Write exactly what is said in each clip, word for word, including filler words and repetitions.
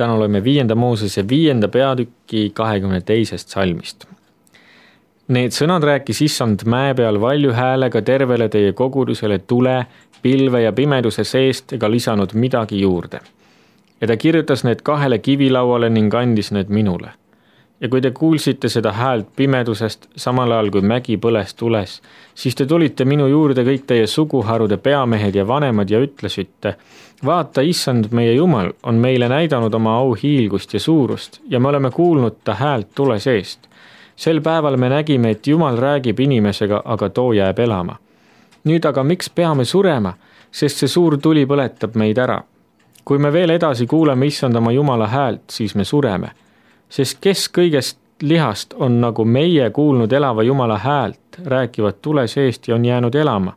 täna loeme viienda Moosese viienda peatüki kahekümne teisest salmist. Need sõnad rääkis issand mäe peal valju häälega tervele teie kogudusele tule, pilve ja pimeduse seest ega lisanud midagi juurde. Ja ta kirjutas need kahele kivilauale ning andis need minule. Ja kui te kuulsite seda häält pimedusest, samal ajal kui mägi põles tules, siis te tulite minu juurde kõik teie suguharude peamehed ja vanemad ja ütlesite, vaata, issand meie Jumal on meile näidanud oma au hiilgust ja suurust ja me oleme kuulnud ta häält tule seest. Sel päeval me nägime, et Jumal räägib inimesega, aga too jääb elama. Nüüd aga miks peame surema, sest see suur tuli põletab meid ära. Kui me veel edasi kuuleme issand oma Jumala häält, siis me sureme. Sest kes kõigest lihast on nagu meie kuulnud elava Jumala häält, rääkivad tule seest ja on jäänud elama.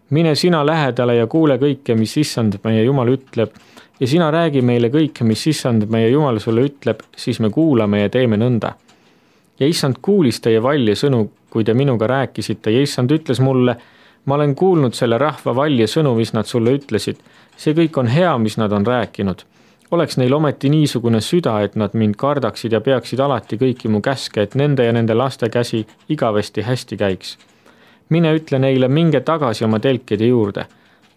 Mine sina lähedale ja kuule kõike, mis issand meie Jumal ütleb, ja sina räägi meile kõike, mis issand meie Jumal sulle ütleb, siis me kuulame ja teeme nõnda. Ja issand kuulis teie valje sõnu, kui te minuga rääkisite, ja issand ütles mulle, ma olen kuulnud selle rahva valje sõnu, mis nad sulle ütlesid. See kõik on hea, mis nad on rääkinud. Oleks neil ometi niisugune süda, et nad mind kardaksid ja peaksid alati kõiki mu käske, et nende ja nende laste käsi igavesti hästi käiks. Mine ütle neile, minge tagasi oma telkide juurde,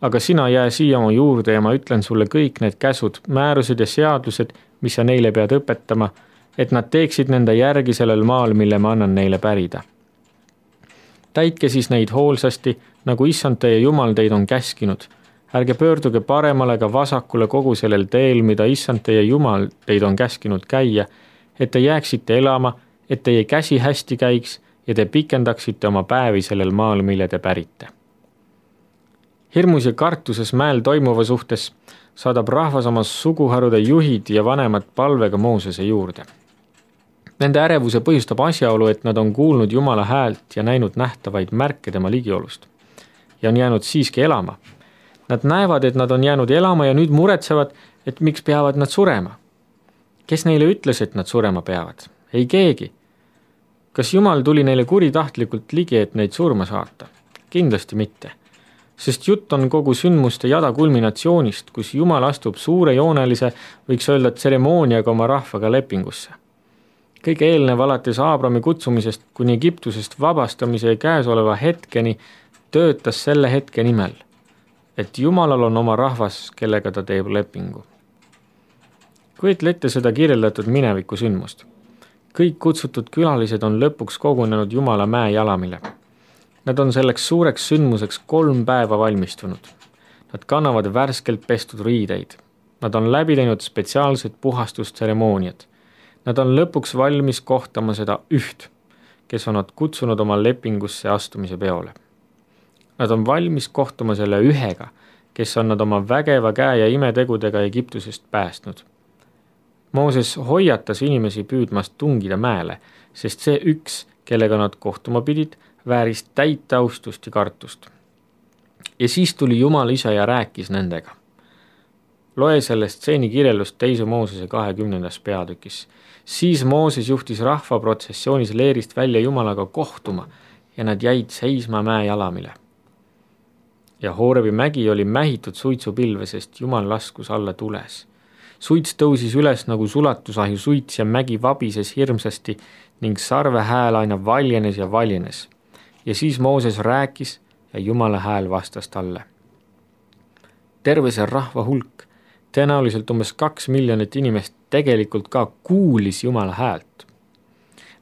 aga sina jää siia oma juurde ja ma ütlen sulle kõik need käsud, määrused ja seadused, mis sa neile pead õpetama, et nad teeksid nende järgi sellel maal, mille ma annan neile pärida. Täitke siis neid hoolsasti, nagu issand teie Jumal teid on käskinud. Ärge pöörduge paremale ega vasakule kogu sellel teel, mida issand teie Jumal teid on käskinud käia, et te jääksite elama, et teie käsi hästi käiks ja te pikendaksite oma päevi sellel maal, mille te pärite. Hirmus ja kartuses mäel toimuva suhtes saadab rahvas oma suguharude juhid ja vanemad palvega Moosese juurde. Nende ärevuse põhjustab asjaolu, et nad on kuulnud Jumala häält ja näinud nähtavaid märke tema ligiolust ja on jäänud siiski elama. Nad näevad, et nad on jäänud elama ja nüüd muretsevad, et miks peavad nad surema. Kes neile ütles, et nad surema peavad? Ei keegi. Kas Jumal tuli neile kuritahtlikult ligi, et neid surma saata? Kindlasti mitte. Sest jutt on kogu sündmuste jada kulminatsioonist, kus Jumal astub suure joonelise, võiks öelda tseremooniaga oma rahvaga lepingusse. Kõige eelnev alates Aabrami kutsumisest kuni Egiptusest vabastamise ja käesoleva hetkeni töötas selle hetke nimel, et Jumalal on oma rahvas, kellega ta teeb lepingu. Kujutle ette seda kirjeldatud mineviku sündmust. Kõik kutsutud külalised on lõpuks kogunenud Jumala mäe jalamile. Nad on selleks suureks sündmuseks kolm päeva valmistunud. Nad kannavad värskelt pestud riideid. Nad on läbi teinud spetsiaalsed puhastustseremooniad. Nad on lõpuks valmis kohtama seda üht, kes on nad kutsunud oma lepingusse astumise peole. Nad on valmis kohtuma selle ühega, kes on nad oma vägeva käe ja imetegudega Egiptusest päästnud. Mooses hoiatas inimesi püüdmast tungida mäele, sest see üks, kellega nad kohtuma pidid, vääris täit austust ja kartust. Ja siis tuli Jumal ise ja rääkis nendega. Loe sellest stseeni kirjeldust teise Moosese kahekümnendas peatükis. Siis Mooses juhtis rahva protsessioonis leerist välja Jumalaga kohtuma ja nad jäid seisma mäe jalamile. Ja Hoorebi mägi oli mähitud suitsupilve, sest Jumal laskus alla tules. Suits tõusis üles nagu sulatusahju suits ja mägi vabises hirmsasti ning sarve hääl aina valjenes ja valjenes. Ja siis Mooses rääkis ja Jumala hääl vastas talle. Terve see rahva hulk, tõenäoliselt umbes kaks miljonit inimest tegelikult ka kuulis Jumala häält.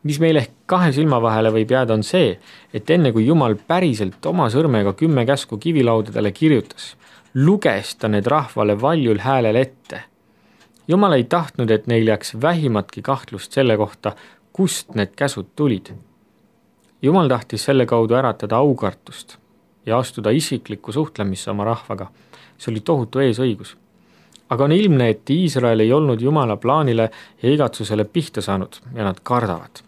Mis meil ehk kahe silma vahele võib jääda on see, et enne kui Jumal päriselt oma sõrmega kümme käsku kivilaudadele kirjutas, luges ta need rahvale valjul häälel ette. Jumal ei tahtnud, et neil jääks vähimatki kahtlust selle kohta, kust need käsud tulid. Jumal tahtis selle kaudu äratada aukartust ja astuda isiklikku suhtlemisse oma rahvaga. See oli tohutu eesõigus. Aga on ilmne, et Iisrael ei olnud Jumala plaanile ja igatsusele pihta saanud ja nad kardavad.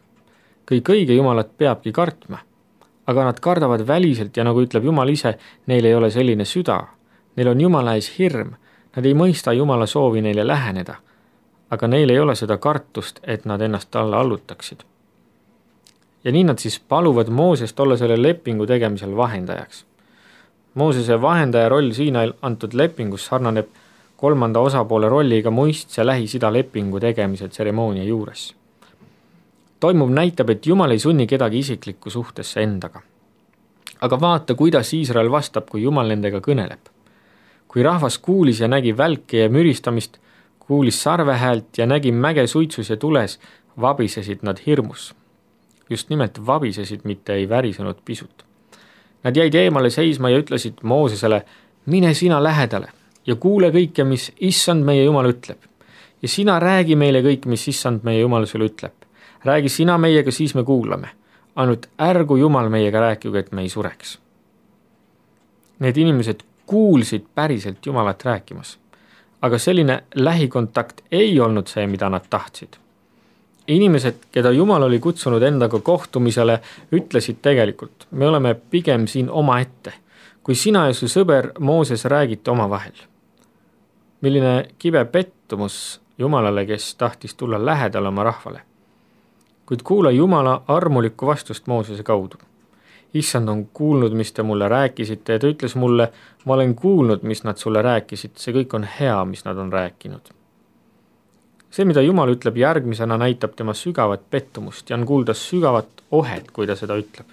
Kõik õige Jumalat peabki kartma, aga nad kardavad väliselt ja nagu ütleb Jumal ise, neil ei ole selline süda. Neil on Jumala ees hirm, nad ei mõista Jumala soovi neile läheneda, aga neil ei ole seda kartust, et nad ennast talle allutaksid. Ja nii nad siis paluvad Moosest olla selle lepingu tegemisel vahendajaks. Moosese vahendaja roll siin antud lepingus sarnaneb kolmanda osapoole rolliga muistse Lähis-Ida lepingu tegemise tseremoonia juures. Toimuv näitab, et Jumal ei sunni kedagi isiklikku suhtesse endaga. Aga vaata, kuidas Iisrael vastab, kui Jumal nendega kõneleb. Kui rahvas kuulis ja nägi välke ja müristamist, kuulis sarvehäält ja nägi mäge suitsus ja tules, vabisesid nad hirmus. Just nimelt vabisesid, mitte ei värisenud pisut. Nad jäid eemale seisma ja ütlesid Moosesele, mine sina lähedale ja kuule kõike, mis issand meie Jumal ütleb. Ja sina räägi meile kõik, mis issand meie Jumal sulle ütleb. Räägi sina meiega, siis me kuulame. Ainult ärgu Jumal meiega rääkigu, et me ei sureks. Need inimesed kuulsid päriselt Jumalat rääkimas. Aga selline lähikontakt ei olnud see, mida nad tahtsid. Inimesed, keda Jumal oli kutsunud endaga kohtumisele, ütlesid tegelikult, me oleme pigem siin oma ette, kui sina ja su sõber Mooses räägite oma vahel. Milline kibe pettumus Jumalale, kes tahtis tulla lähedale oma rahvale. Kuid kuula Jumala armulikku vastust Moosese kaudu. Issand on kuulnud, mis te mulle rääkisite ja ta ütles mulle, ma olen kuulnud, mis nad sulle rääkisid, see kõik on hea, mis nad on rääkinud. See, mida Jumal ütleb järgmisena, näitab tema sügavat pettumust ja on kuulda sügavat ohet, kui ta seda ütleb.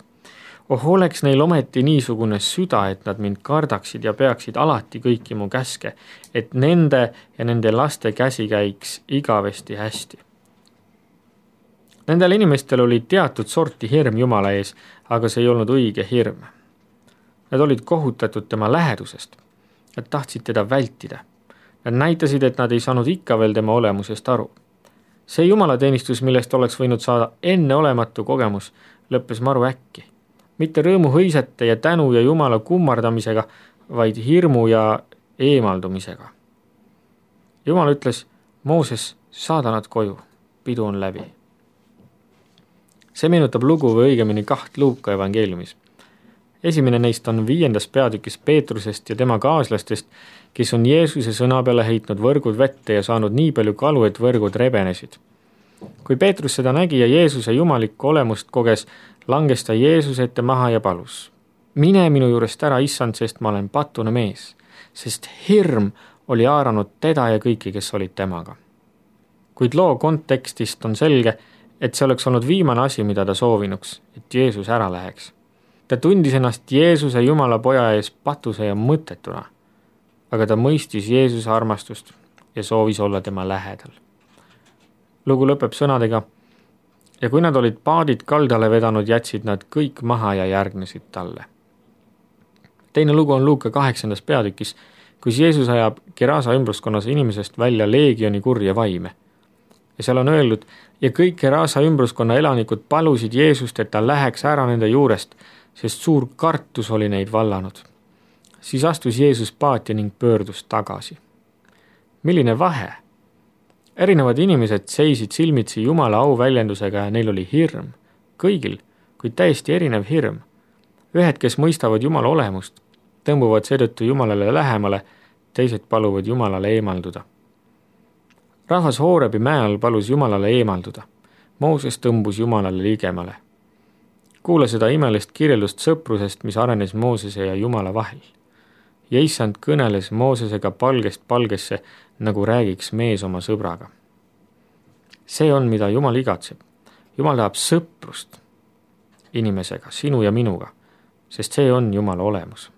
Oh, oleks neil ometi niisugune süda, et nad mind kardaksid ja peaksid alati kõiki mu käske, et nende ja nende laste käsi käiks igavesti hästi. Nendel inimestel oli teatud sorti hirm Jumala ees, aga see ei olnud õige hirm. Nad olid kohutatud tema lähedusest. Nad tahtsid teda vältida. Nad näitasid, et nad ei saanud ikka veel tema olemusest aru. See jumalateenistus, millest oleks võinud saada enneolematu kogemus, lõppes maru äkki. Mitte rõõmu hõisete ja tänu ja Jumala kummardamisega, vaid hirmu ja eemaldumisega. Jumal ütles, Mooses, saada nad koju, pidu on läbi. See meenutab lugu või õigemini kaht Luuka evangeeliumis. Esimene neist on viiendas peatükis Peetrusest ja tema kaaslastest, kes on Jeesuse sõna peale heitnud võrgud vette ja saanud nii palju kalu, et võrgud rebenesid. Kui Peetrus seda nägi ja Jeesuse jumalikku olemust koges, langes ta Jeesuse ette maha ja palus. Mine minu juurest ära, issand, sest ma olen patune mees, sest hirm oli haaranud teda ja kõiki, kes olid temaga. Kuid loo kontekstist on selge, et see oleks olnud viimane asi, mida ta soovinuks, et Jeesus ära läheks. Ta tundis ennast Jeesuse Jumala poja ees patuse ja mõttetuna, aga ta mõistis Jeesuse armastust ja soovis olla tema lähedal. Lugu lõpeb sõnadega, ja kui nad olid paadid kaldale vedanud, jätsid nad kõik maha ja järgnesid talle. Teine lugu on Luuka kaheksandas peatükis, kus Jeesus ajab Gerasa ümbruskonnas inimesest välja leegioni kurja vaime. Ja seal on öeldud, ja kõik Gerasa ümbruskonna elanikud palusid Jeesust, et ta läheks ära nende juurest, sest suur kartus oli neid vallanud. Siis astus Jeesus paati ning pöördus tagasi. Milline vahe? Erinevad inimesed seisid silmitsi Jumala au väljendusega ja neil oli hirm. Kõigil, kuid täiesti erinev hirm. Ühed, kes mõistavad Jumala olemust, tõmbuvad seetõttu Jumalale lähemale, teised paluvad Jumalale eemalduda. Rahvas Hoorebi mäel palus Jumalale eemalduda. Mooses tõmbus Jumalale ligemale. Kuula seda imelist kirjeldust sõprusest, mis arenes Moosese ja Jumala vahel. Ja issand kõneles Moosesega palgest palgesse, nagu räägiks mees oma sõbraga. See on, mida Jumal igatseb. Jumal tahab sõprust inimesega, sinu ja minuga, sest see on Jumala olemus.